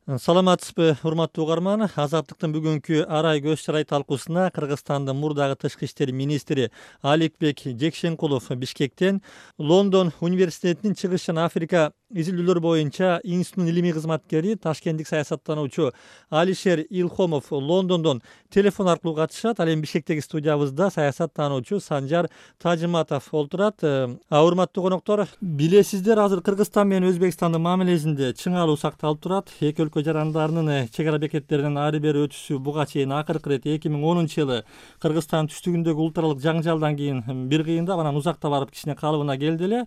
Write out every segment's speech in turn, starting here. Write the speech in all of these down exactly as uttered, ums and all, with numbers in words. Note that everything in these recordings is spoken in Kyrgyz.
Саламатсызбы, урматтуу угарман. Азаттыктын бүгүнкү арай көз чарай талкуусуна Кыргызстандын мурдагы тышкы иштер министри Аликбек Жекшенкулов Бишкектен Лондон университетинин чыгыш жана Африка изилдөөлөр боюнча институттун илимий кызматкери, ташкенттик саясаттануучу Алишер Илхомов Лондондон телефон аркылуу катышат. Ал эми Бишкектеги студиябызда саясаттануучу Санжар Тажыматов олтурат. А урматтуу коноктор, билесиздер, азыр Кыргызстан менен Өзбекстандын мамилесинде чыңалуу сакталып турат. Эки өлкө жарандарынын чек ара бекеттеринен ары бери өтүшү буга чейин акыркы ирет эки миң онунчу жылы Кыргызстан түштүгүндөгү улут аралык жаңжалдан кийин бир кыйындап, анан узакта барып кичине калыбына келди эле.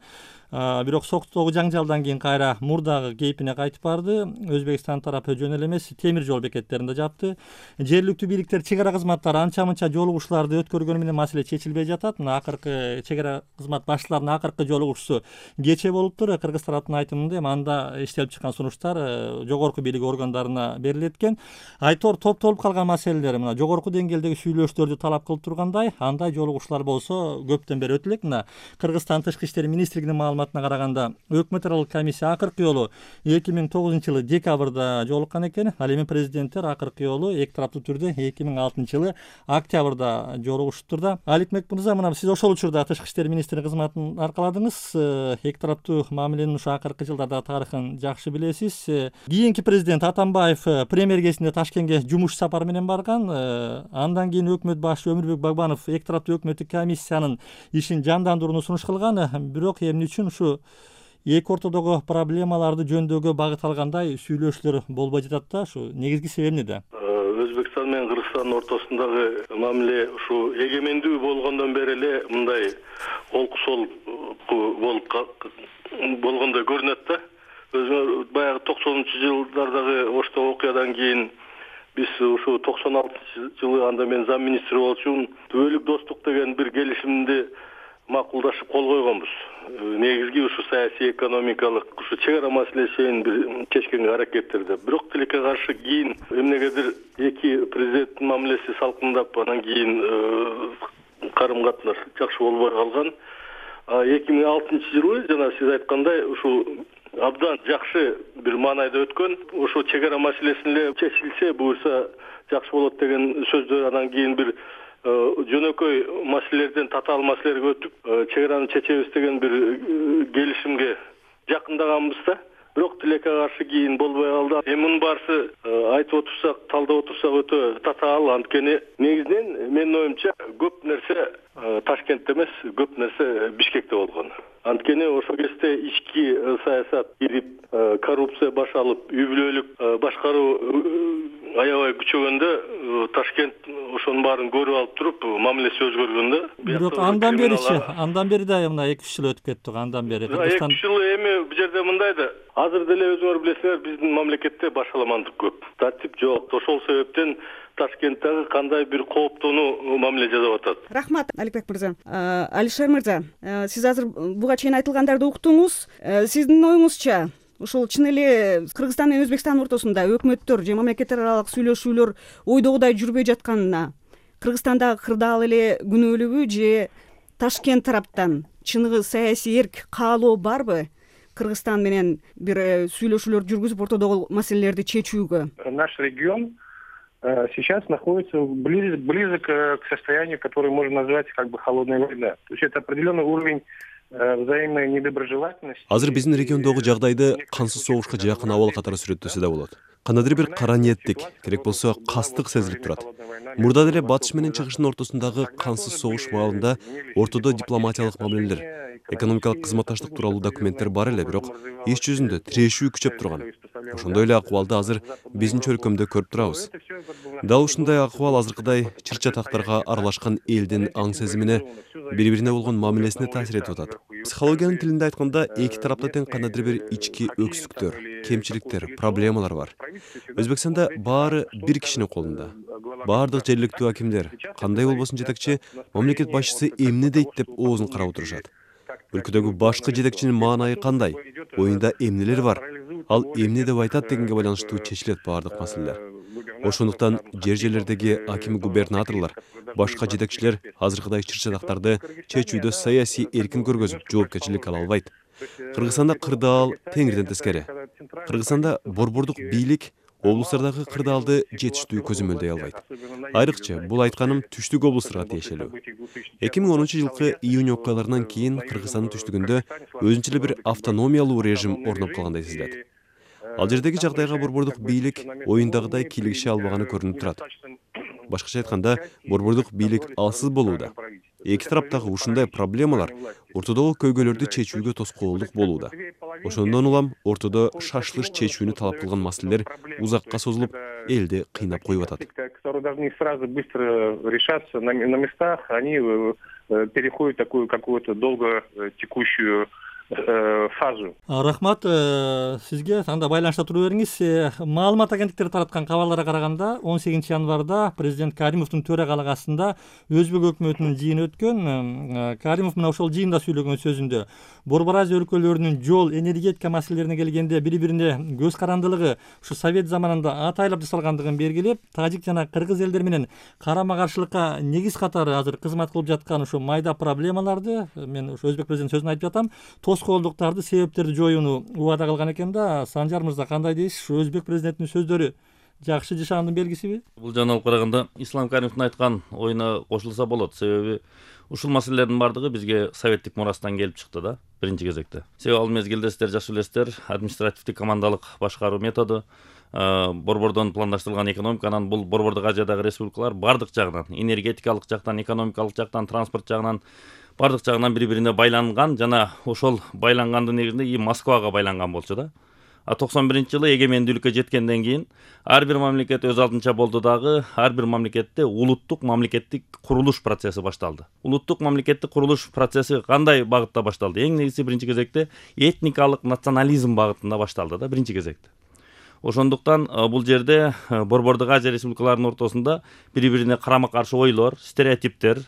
Бирок соктогу жаңжалдан кийин кайра мурдагы кейпине кайтып барды. Өзбекстан тарапы жөн эле эмес, темир жол бекеттеринде жапты. Жергиликтүү бийликтер чек ара кызматтары анча мынча жолугушууларды өткөргөнү менен маселе чечилбей жатат. Мына акыркы чек ара кызмат башчыларынын акыркы жолугушуусу кечээ болуптур. Кыргыз тараптын айтымында эми анда иштелип чыккан сунуштар жогорку бийлик органдарына берилет экен. Айтор топтолуп калган маселелер мына жогорку деңгээлдеги сүйлөшүүлөрдү талап кылып тургандай, андай жолугушуулар болсо көптөн бери өтүлөт. Мына Кыргызстан тышкы иштер министрлигинин маалыматына караганда, өкмөт аралык комиссия акыркы жолу эки миң тогузунчу жылы декабрда жолуккан экен. Ал эми президенттер акыркы жолу эки тараптуу түрдө эки миң алтынчы жылы октябрда жолугушуптур да. Аликбек мырза, мына сиз ошол учурда тышкы иштер министри кызматын аркаладыңыз. Эки тараптуу мамиленин ушу акыркы жылдардагы тарыхын жакшы билесиз. Кийинки президент Атамбаев премьер кезинде Ташкентке жумуш сапары менен барган. Андан кийин өкмөт башы Өмүрбек Багбанов эки тараптуу өкмөттүк комиссиянын ишин жандандырууну сунуш кылган. Бирок эмне үчүн ушу эки ортодогу проблемаларды жөндөөгө багыт алгандай сүйлөшүүлөр болбой жатат да? Ушу негизги себеби эмнеде? Өзбекстан менен Кыргызстандын ортосундагы мамиле ушу эгемендүү болгондон бери эле мындай олку солку болуп болгондой көрүнөт да. Өзү баягы токсонунчу жылдардагы ошто окуядан кийин биз ушу токсон алтынчы жылы анда мен зам министри болчумун. Түбөлүк достук деген бир келишимди макулдашып кол койгонбуз. Негизги ушу саясий экономикалык ушу чек ара маселесин бир чечкенге аракеттерди. Бирок тилекке каршы кийин эмнегедир эки президенттин мамилеси салкындап, анан кийин карым катнаш жакшы болбой калган. эки миң алтынчы жылы жана сиз айткандай ушу абдан жакшы бир маанайда өткөн. Ошо чек ара маселесин эле чечилсе, буюрса жакшы болот деген сөздөр, анан кийин бир жөнөкөй маселелерден татаал маселелерге өтүп, чек араны чечебиз деген бир келишимге жакындаганбыз да. Бирок тилекке каршы кийин болбой калды. Эми мунун баарысы айтып отурсак, талдап отурсак өтө татаал. Анткени негизинен менин оюмча көп нерсе Ташкентте эмес, көп нерсе Бишкекте болгон. Анткени ошол кезде ички саясат ирип, коррупция башалып, үй бүлөлүк башкаруу аябай күчөгөндө, Ташкент ошонун баарын көрүп алып туруп, мамилеси өзгөргөндө. Бирок андан беричи, андан бери да мына эки үч жыл өтүп кетти, андан бери Кыргызстан эки үч жыл эми бул жерде мындай да. Азыр деле өзүңөр билесиңер, биздин мамлекетте башаламандык көп. Тартип жок. Ошол себептен Ташкенттеги кандай бир кооптонуу мамиле жасап атат. Рахмат, Аликбек мырза. Алишер мырза, сиз азыр буга чейин айтылгандарды уктуңуз. Сиздин оюңузча, ушул чын эле Кыргызстан менен Өзбекстан ортосунда өкмөттөр же мамлекеттер аралык сүйлөшүүлөр ойдогудай жүрбөй жатканына Кыргызстандагы кырдаал эле күнөөлүүбү же Ташкент тараптан чыныгы саясий эрк, каалоо барбы Кыргызстан менен бир сүйлөшүүлөр жүргүзүп ортодогу маселелерди чечүүгө? Наш регион сейчас находится близок, близок к состоянию, которое можно назвать как бы холодной войной. То есть это определенный уровень взаимной недоброжелательности. Азыр биздин региондогу жагдайды кансыз согушка жакын абал катары сүрөттөсө да болот. Кандайдыр бир кара ниеттик, керек болсо кастык сезилип турат. Мурда деле батыш менен чыгыштын ортосундагы кансыз согуш маалында ортодо дипломатиялык мамилелер, экономикалык кызматташтык тууралуу документтер бар эле, бирок иш жүзүндө тирешүү күчөп турган. Ошондой эле акыбалды азыр биздин чөлкөмдө көрүп турабыз. Дал ушундай акыбал азыркыдай чыр чатактарга аралашкан элдин аң сезимине, бири-бирине болгон мамилесине таасир этип атат. Психологиянын тилинде айтканда, эки тарапта тең кандайдыр бир ички өксүктөр, кемчиликтер, проблемалар бар. Өзбекстанда баары бир кишинин колунда. Баардык жергиликтүү акимдер, кандай болбосун жетекчи, мамлекет башчысы эмне дейт деп оозун карап отурушат. Өлкөдөгү башкы жетекчинин маанайы кандай? Оюнда эмнелер бар? Ал эмне деп айтат дегенге байланыштуу чечилет баардык маселелер. Ошондуктан жер жерлердеги аким губернаторлор, башка жетекчилер азыркыдай чыр чатактарды чечүүдө саясий эркин көргөзүп, жоопкерчилик ала албайт. Кыргызстанда кырдаал теңирден тескери. Кыргызстанда борбордук бийлик облустардагы кырдаалды жетиштүү көзөмөлдөй албайт. Айрыкча бул айтканым түштүк облустарга тиешелүү. эки миң онунчу жылкы июнь окуяларынан кийин Кыргызстандын түштүгүндө өзүнчө эле бир автономиялуу режим орноп калгандай сезилет. Ал жердеги жагдайга борбордук бийлик оюндагыдай кийлигише албаганы көрүнүп турат. Башкача айтканда, борбордук бийлик алсыз болууда. Эки тараптагы ушундай проблемалар ортодогу көйгөйлөрдү чечүүгө тоскоолдук болууда. Ошондон улам ортодо шашылыш чечүүнү талап кылган маселелер узакка созулуп, элди кыйнап коюп атат. Которые должны сразу быстро решаться на местах, они переходят в такую какую-то долго текущую фазу. Рахмат сизге. Анда байланышта тура бериңиз. Маалымат агенттиктери тараткан кабарларга караганда он сегизинчи январда президент Каримовдун төрагалыгы астында Өзбек өкмөтүнүн жыйыны өткөн. Каримов мына ошол жыйында сүйлөгөн сөзүндө Борбор Азия өлкөлөрүнүн жол, энергетика маселелерине келгенде бири-бирине көз карандылыгы ушу Совет заманында атайлап жасалгандыгын белгилеп, тажик жана кыргыз элдер менен карама-каршылыкка негиз катары азыр кызмат кылып жаткан ушу майда проблемаларды, мен ушу Өзбек президент сөзүн айтып жатам, тоскоолдуктарды, себептерди жоюуну убада кылган экен да. Санжар мырза, кандай дейсиз? Ушу Өзбек президентинин сөздөрү жакшы жашаандын белгисиби? Бул жана алып караганда Ислам Каримовдун айткан оюна кошулса болот. Себеби ушул маселелердин бардыгы бизге советтик мурастан келип чыкты да, биринчи кезекте. Себеби ал мезгилде сиздер жакшы билесиздер, административдик командалык башкаруу методу, борбордон пландаштырылган экономика, анан бул борбордук Азиядагы республикалар бардык жагынан, энергетикалык жактан, экономикалык жактан, транспорт жагынан, бардык жагынан бири-бирине байланган жана ошол байлангандын негизинде и Москвага байланган болчу да. А токсон биринчи жылы эгемендүүлүккө жеткенден кийин ар бир мамлекет өз алдынча болду дагы, ар бир мамлекетте улуттук мамлекеттик курулуш процесси башталды. Улуттук мамлекеттик курулуш процесси кандай багытта башталды? Эң негизи биринчи кезекте этникалык национализм багытында башталды да, биринчи кезекте. Ошондуктан бул жерде борбордук Азия республикаларынын ортосунда бири-бирине карама-каршы ойлор, стереотиптер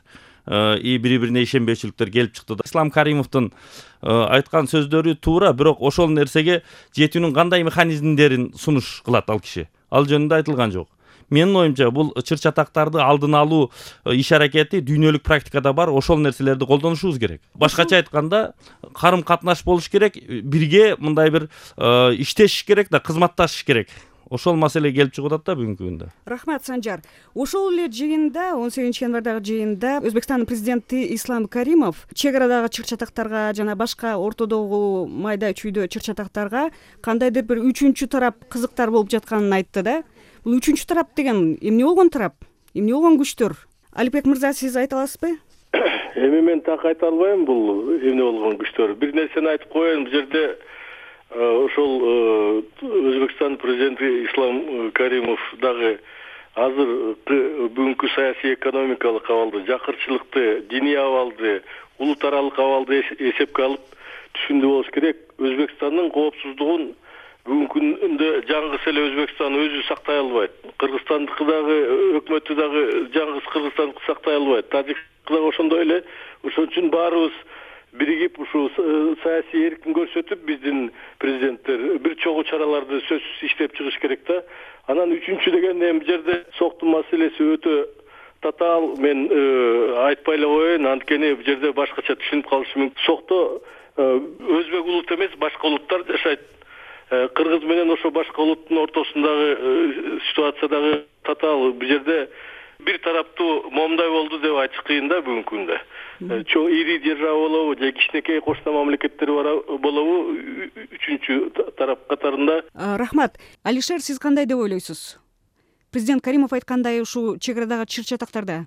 и бири-бирине ишенбөөчүлүктөр келип чыкты да. Ислам Каримовдун айткан сөздөрү туура, бирок ошол нерсеге жетүүнүн кандай механизмдерин сунуш кылат ал киши. Ал жөнүндө айтылган жок. Менин оюмча бул чыр-чатактарды алдын алуу иш аракети дүйнөлүк практикада бар, ошол нерселерди колдонушубуз керек. Башкача айтканда, карым-катнаш болуш керек, бирге мындай бир иштешиш керек да, кызматташыш керек. Ошол маселе келип чыгып атат да бүгүнкү күндө. Рахмат, Санжар. Ошол эле жыйында, он сегизинчи январдагы жыйында Өзбекстандын президенти Ислам Каримов чек арадагы чыр-чатактарга жана башка ортодогу майда чүйдө чыр-чатактарга кандайдыр бир үчүнчү тарап кызыктар болуп жатканын айтты да. Бул үчүнчү тарап деген эмне болгон тарап? Эмне болгон күчтөр? Алипбек мырза, сиз айта аласызбы? Эми мен так айта албайм бул эмне болгон күчтөр. Бир нерсени айтып коеюн, бул жерде ошол Өзбекстан президенти Ислам Каримов дагы азыр бүгүнкү саясий экономикалык абалды, жакырчылыкты, диний абалды, улут аралык абалды эсепке алып түшүндүү болуш керек. Өзбекстандын коопсуздугун бүгүнкү күндө жаңгыс эле Өзбекстан өзү сактай албайт. Кыргызстандыкы дагы өкмөтү дагы жаңгыс Кыргызстандыкы сактай албайт. Тажикстан дагы ошондой эле. Ошон үчүн баарыбыз биригип ушу саясий эркин көрсөтүп, биздин президенттер бир чогуу чараларды сөзсүз иштеп чыгыш керек да. Анан үчүнчү деген эми жерде соктун маселеси өтө татаал. Мен айтпай эле коеюн, анткени бул жерде башкача түшүнүп калышы мүмкүн. Сокто өзбек улут эмес, башка улуттар жашайт. Кыргыз менен ошо башка улуттун ортосундагы ситуация дагы татаал. Бул жерде бир тараптуу момундай болду деп айтыш кыйын да бүгүнкү күндө. Чоң ири держава болобу же кичинекей кошуна мамлекеттер болобу, үчүнчү тарап катарында. Рахмат. Алишер, сиз кандай деп ойлойсуз? Президент Каримов айткандай ушу чек арадагы чыр-чатактарда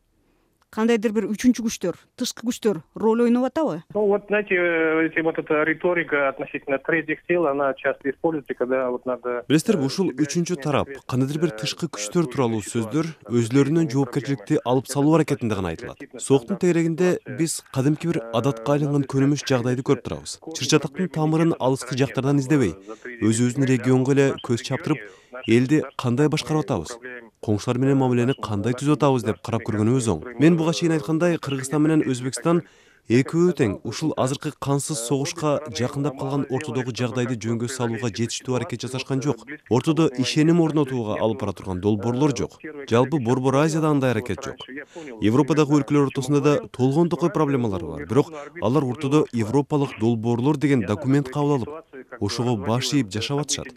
кандайдыр бир үчүнчү күчтөр, тышкы күчтөр роль ойноп атабы? Ну вот, знаете, вот эта риторика относительно третьих сил, она часто используется, когда вот надо... Билесиздерби, ушул үчүнчү тарап, кандайдыр бир тышкы күчтөр тууралуу сөздөр өзлөрүнүн жоопкерчиликти алып салуу аракетинде гана айтылат. Соктун тегерегинде биз кадимки бир адатка айланган көрүнүш жагдайды көрүп турабыз. Чыр-чатактын тамырын алыскы жактардан издебей, өзүбүздүн регионго эле көз чаптырып, элди кандай башкарып атабыз, коңшулар менен мамилени кандай түзүп атабыз деп карап көргөнүбүз оң. Мен буга чейин айткандай, Кыргызстан менен Өзбекстан экөө тең ушул азыркы кансыз согушка жакындап калган ортодогу жагдайды жөнгө салууга жетиштүү аракет жасашкан жок. Ортодо ишеним орнотууга алып бара турган долбоорлор жок. Жалпы Борбор Азияда андай аракет жок. Европадагы өлкөлөр ортосунда да толгон токой проблемалар бар. Бирок алар ортодо европалык долбоорлор деген документ кабыл алып, ошого баш ийип жашап атышат.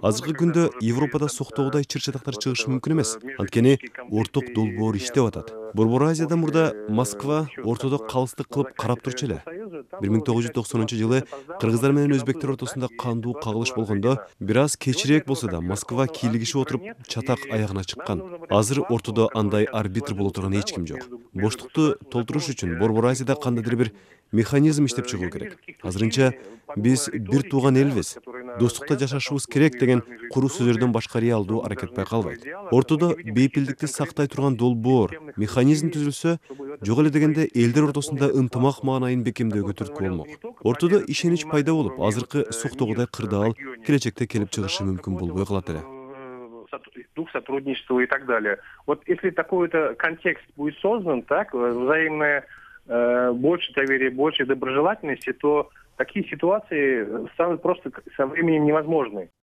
Азыркы күндө Европада соктогудай чыр-чатактар чыгышы мүмкүн эмес. Анткени орток долбоор иштеп атат. Борбор Азияда мурда Москва ортодо калыстык кылып карап турчу эле. бир миң тогуз жүз токсонунчу жылы кыргыздар менен өзбектер ортосунда кандуу кагылыш болгондо, бир аз кечирээк болсо да Москва кийлигишип отуруп чатак аягына чыккан. Азыр ортодо андай арбитр боло турган эч ким жок. Боштукту толтуруш үчүн Борбор Азияда кандайдыр бир механизм иштеп чыгуу керек. Азырынча биз бир тууган элбиз, достукта жашашыбыз керек деген куру сөздөрдөн башка реалдуу аракет байкалбайт. Ортодо бейпилдикти сактай турган долбоор, механизм түзүлсө, жок эле дегенде элдер ортосунда ынтымак маанайын бекемдөөгө түрткү болмок. Ортодо ишенич пайда болуп, азыркы соктогудай кырдаал келечекте келип чыгышы мүмкүн болбой калат эле. Дух сотрудничества и так далее. Вот если такой-то контекст будет создан, так, взаимное э, больше доверия, больше доброжелательности, то такие ситуации станут просто со временем невозможны.